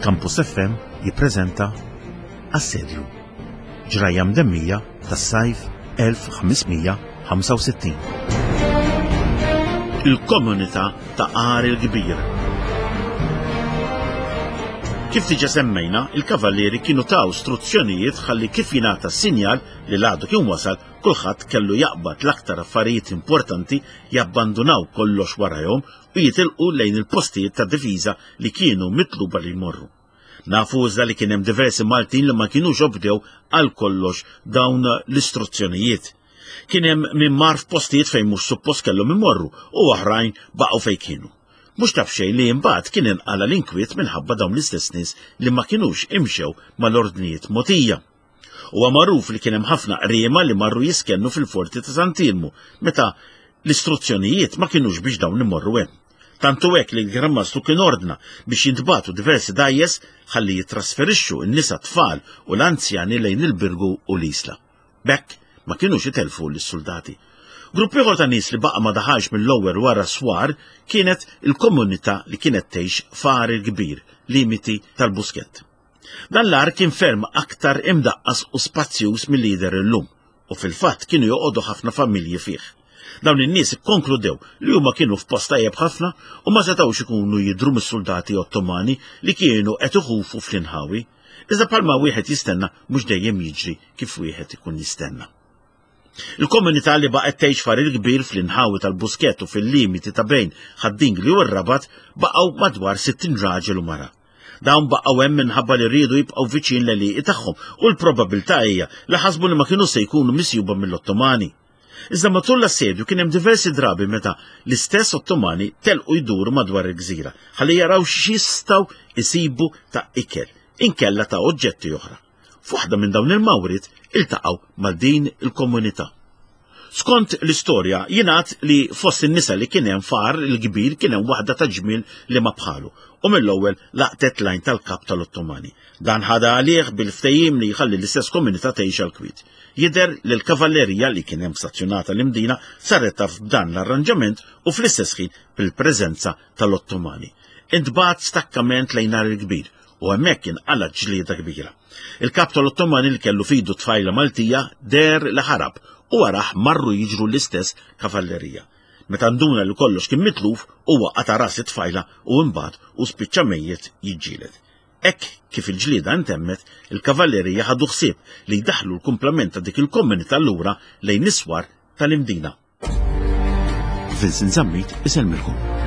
Campus FM jippreżenta Assedju. Ġrajja mdemmija tas-sajf 1565. Il-komunità ta' Għar il-Kbir. Kif diġa semmejna, il-kavallieri kienu taw struzzjonijiet ħalli kif jingħata sinjal li l-għadu kien wasal, kulħadd kellu jaqbad l-aktar affarijiet importanti jabbandunaw kollox warajhom u jitilqu lejn il-postijiet ta' difiża li kienu mitluba li jmorru. Nafu iżda li kien hemm diversi Maltin li ma kinux obdew għal kollox dawn l-istruzzjonijiet. Kien hemm min mar f'postijiet fejn mhux suppost kellhom imorru u oħrajn baqgħu fejn kienu. Mhux ta' b'xejn li imbagħad kien inqala' l-inkwiet minħabba dawn l-istess nies li ma kinux imxew mal-ordnijiet mogħtija. Huwa magħruf li kien hemm ħafna qriema li marru jiskennu fil-forti ta' Sant'Iermu meta l-istruzzjonijiet ma kinux biex dawn imorru hemm. Tant hu hekk li l-Gran Mastru kien ordna biex jintbagħtu diversi dgħajjes ħalli jittrasferixxu n-nisa tfal u l-anzjani lejn il-Birgu u l-Isla. B'hekk ma kinux itelfu lis-suldati. Grupp ieħor ta' nies li baqa' ma daħalx mill-ewwel wara s-swar kienet il-komunità li kienet tgħix f'Għar il-Kbir, limiti tal-Buskett. Dan l-għar kien ferm aktar imdaqqas u spazjuż milli jidher illum, u fil-fatt kienu joqogħdu ħafna familji fih. Dawn in-nies ikkonkludew li huma kienu f'post tajjeb ħafna u ma setgħux ikunu jidhru mis-suldati Ottomani li kienu qed iħufu fl-inħawi. Iżda bħalma wieħed jistenna mhux dejjem jiġri kif wieħed ikun jistenna. Il-komunità li baqgħet tgħix f'Għar il-Kbir fl-inħawi tal-Buskett u fil-limiti ta' bejn Ħad-Dingli u r-Rabat baqgħu madwar 60 raġel u mara. Dawn baqgħu hemm minħabba li riedu jibqgħu viċin l-għelieqi tagħhom u l-probabbiltà hija li ħasbu li ma kinux se jkunu misjuba mill-Ottomani. Iżda matul l-assedju kien hemm diversi drabi meta l-istess Ottomani telqu jduru madwar il-gżira ħalli jaraw x'jistgħu jsibu ta' ikel inkella ta' oġġetti oħra. F'waħda minn dawn il-mawriet iltaqgħu ma' din il-komunità. Skont l-istorja jingħad li fost in-nisa li kien hemm f'Għar il-Kbir kien hemm waħda ta' ġmiel li ma bħalu u mill-ewwel laqtet l-għajn tal-kap tal-Ottomani. Dan ħadha għalih bil-ftehim li jħalli l-istess komunità tgħix għall-kwiet. Jidher li l-kavallerija li kien hemm stazzjonata l-Imdina saret taf b'dan l-arranġament u fl-istess ħin bil-preżenza tal-Ottomani. Intbagħat stakkament lejn Għar il-Kbir u hemmhekk inqalgħet ġlieda kbira. Il-kap tal-Ottomani li kellu f'idu tfajla Maltija deher li ħarab u warah marru jiġru l-istess kavallerija. Meta nduna li kollox kien mitluf, huwa qata' ras it-tfajla u imbagħad hu spiċċa mejjet jiġġieled. Hekk kif il-ġlieda ntemmet, il-kavallerija ħadu ħsieb li jdaħħlu l-kumplament ta' dik il-komunità lura lejn is-swar tal-Imdina. Vincent Zammit isellmilkom.